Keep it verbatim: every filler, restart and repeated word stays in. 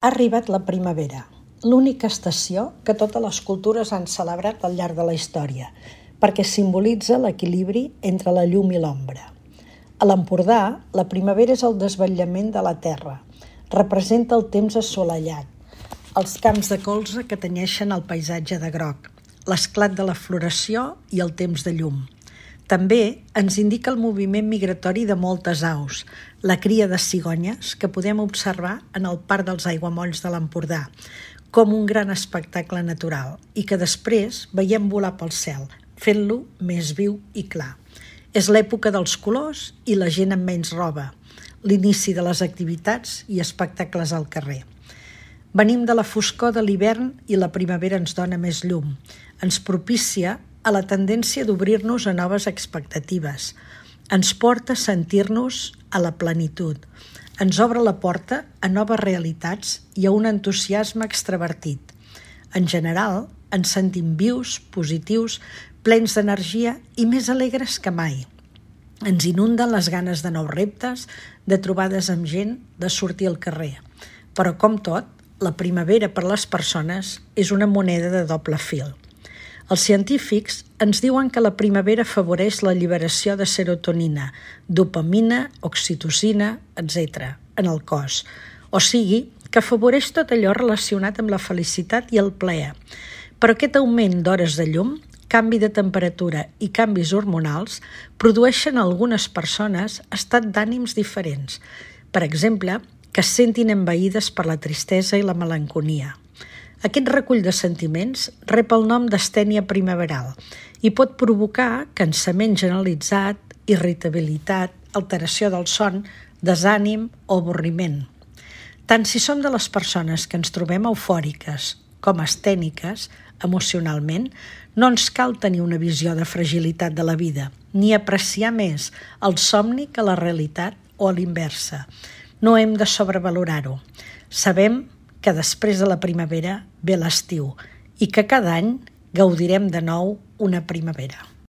Ha arribat la primavera, l'única estació que totes les cultures han celebrat al llarg de la història, perquè simbolitza l'equilibri entre la llum i l'ombra. A l'Empordà, la primavera és el desvetllament de la terra, representa el temps assolellat, els camps de colza que tenyeixen el paisatge de groc, l'esclat de la floració i el temps de llum. També ens indica el moviment migratori de moltes aus, la cria de cigonyes que podem observar en el Parc dels Aiguamolls de l'Empordà, com un gran espectacle natural i que després veiem volar pel cel, fent-lo més viu i clar. És l'època dels colors i la gent amb menys roba, l'inici de les activitats i espectacles al carrer. Venim de la foscor de l'hivern i la primavera ens dona més llum, ens propicia a la tendència d'obrir-nos a noves expectatives, ens porta a sentir-nos a la plenitud, ens obre la porta a noves realitats i a un entusiasme extravertit. En general, ens sentim vius, positius, plens d'energia i més alegres que mai. Ens inunden les ganes de nous reptes, de trobades amb gent, de sortir al carrer. Però, com tot, la primavera per a les persones és una moneda de doble fil. Els científics ens diuen que la primavera afavoreix la alliberació de serotonina, dopamina, oxitocina, etcètera en el cos. O sigui, que afavoreix tot allò relacionat amb la felicitat i el plaer. Però aquest augment d'hores de llum, canvi de temperatura i canvis hormonals produeixen a algunes persones estat d'ànims diferents. Per exemple, que es sentin envaïdes per la tristesa i la melanconia. Aquest recull de sentiments rep el nom d'astènia primaveral i pot provocar cansament generalitzat, irritabilitat, alteració del son, desànim o avorriment. Tant si som de les persones que ens trobem eufòriques com astèniques, emocionalment, no ens cal tenir una visió de fragilitat de la vida, ni apreciar més el somni que la realitat o a l'inversa. No hem de sobrevalorar-ho. Sabem que després de la primavera ve l'estiu i que cada any gaudirem de nou una primavera.